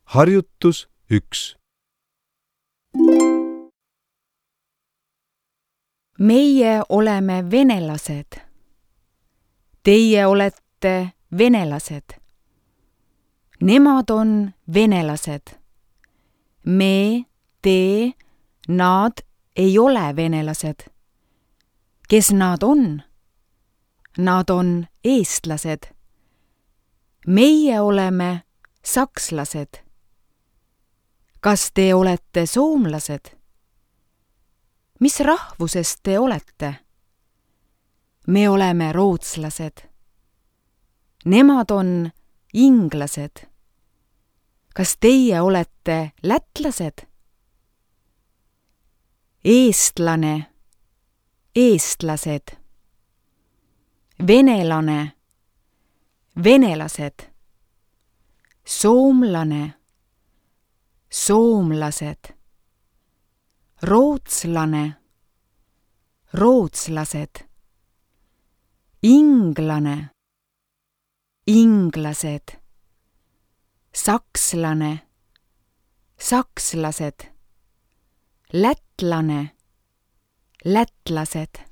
Harjutus 1. Meie oleme venelased. Teie olete venelased. Nemad on venelased. Me, te, nad ei ole venelased. Kes nad on? Nad on eestlased. Meie oleme sakslased. Kas te olete soomlased? Mis rahvusest te olete? Me oleme rootslased. Nemad on inglased. Kas teie olete lätlased? Eestlane, eestlased. Venelane, venelased. Soomlane, soomlased. Rootslane, rootslased. Inglane, inglased. Sakslane, sakslased. Lätlane, lätlased.